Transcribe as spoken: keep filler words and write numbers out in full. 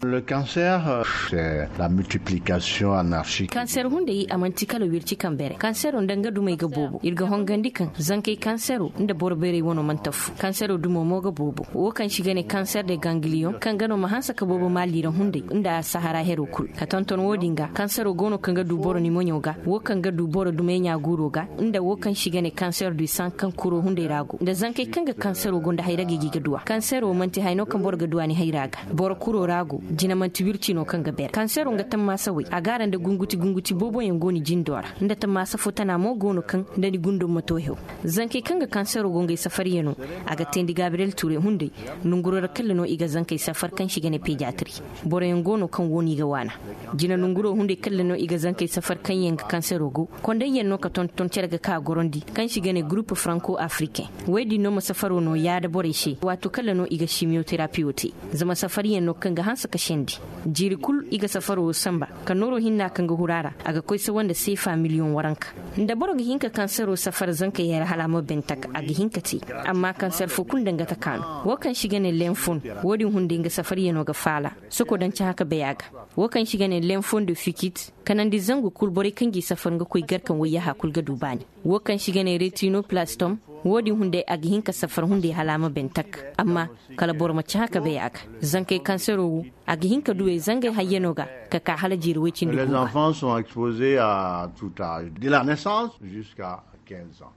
Le cancer, c'est la multiplication anarchique. Kanser hunday a man'ti kala wirci kaŋ bere kansero nda nga dumey ga boobo ir ga hongandi kaŋ zankey kansero nda boro beerey wano mana tafu kansero dumo mo ga boobo wo kaŋ se i ga ne kanser de gangliyon kaŋ ga no ma hanse ka boobo maali ra hunday nda sahara hero kul ka tonton wo-din ga kansero go no kaŋ ga du boro ni moɲo ga wo kaŋ ga du boro dumey ɲaaguuro ga nda wo kaŋ se i ga ne kanser du san kaŋ kuro hunday ra go nda zankey kaŋ ga kansero go nda hayra ga i ga i ga duw'a kansero man'ti haya no kaŋ boro ga duw'a ni hayra ga boro kuro ra go jina man'ti wirci no kaŋ ga beer kansero nga tammaasa wey a gaara nda gunguti gunguti booboyaŋ go ni jindo ra nda tammaasa fo tana mo go no kaŋ nda ni gundo ma to hew zankey kaŋ ga kansero go ngey safaryano a ga teendi gabriyel ture hunday nonguro ra kalla no i ga zankey safar kaŋ se i ga ne pejatri boroyaŋ go no kaŋ wo no i ga waana jina nonguro hunday kalla no i ga zankey safar kaŋ yaŋ ga kansero go kondayyaŋ no ka tonton cere ga ka gorandi kaŋ se i ga ne gurup franko afriken wey din no ma safaro no yaada borey se waato kalla no i ga simiyoterapiyo te zama safaryaŋ no kaŋ ga hanse ka sendi jiiri kul i ga safaro wo sanba ka nooro hinna kaŋ ga huru a ra a ga koy sawa nda seefa miliyoŋ waranka nda boro ga hin ka kansero safar zankey hera hala a ma ben tak a ga hin ka te amma kanser fo kul nda nga taka no wo kaŋ se i ga ne lenfon wo-din hunday nga safaryano ga faala soko daŋ cahã ka bay a ga wo kaŋ se i ga ne lenfon de fikit kanandi zangu kul borey kaŋ g'i safar nga koy garkaŋ wayyaha kul ga du baani wo kaŋ se i ga ne retinoplastom wo-din hunday a ga hin ka safar hunday hala a ma ben tak amma kala boro ma cahã ka bay a ga zankey kansero wo a ga hin ka duwey zangey hayyano ga ka ka hala jiiri woy cindi guuba. Les enfants sont exposés à tout âge de la naissance jusqu'à quinze ans.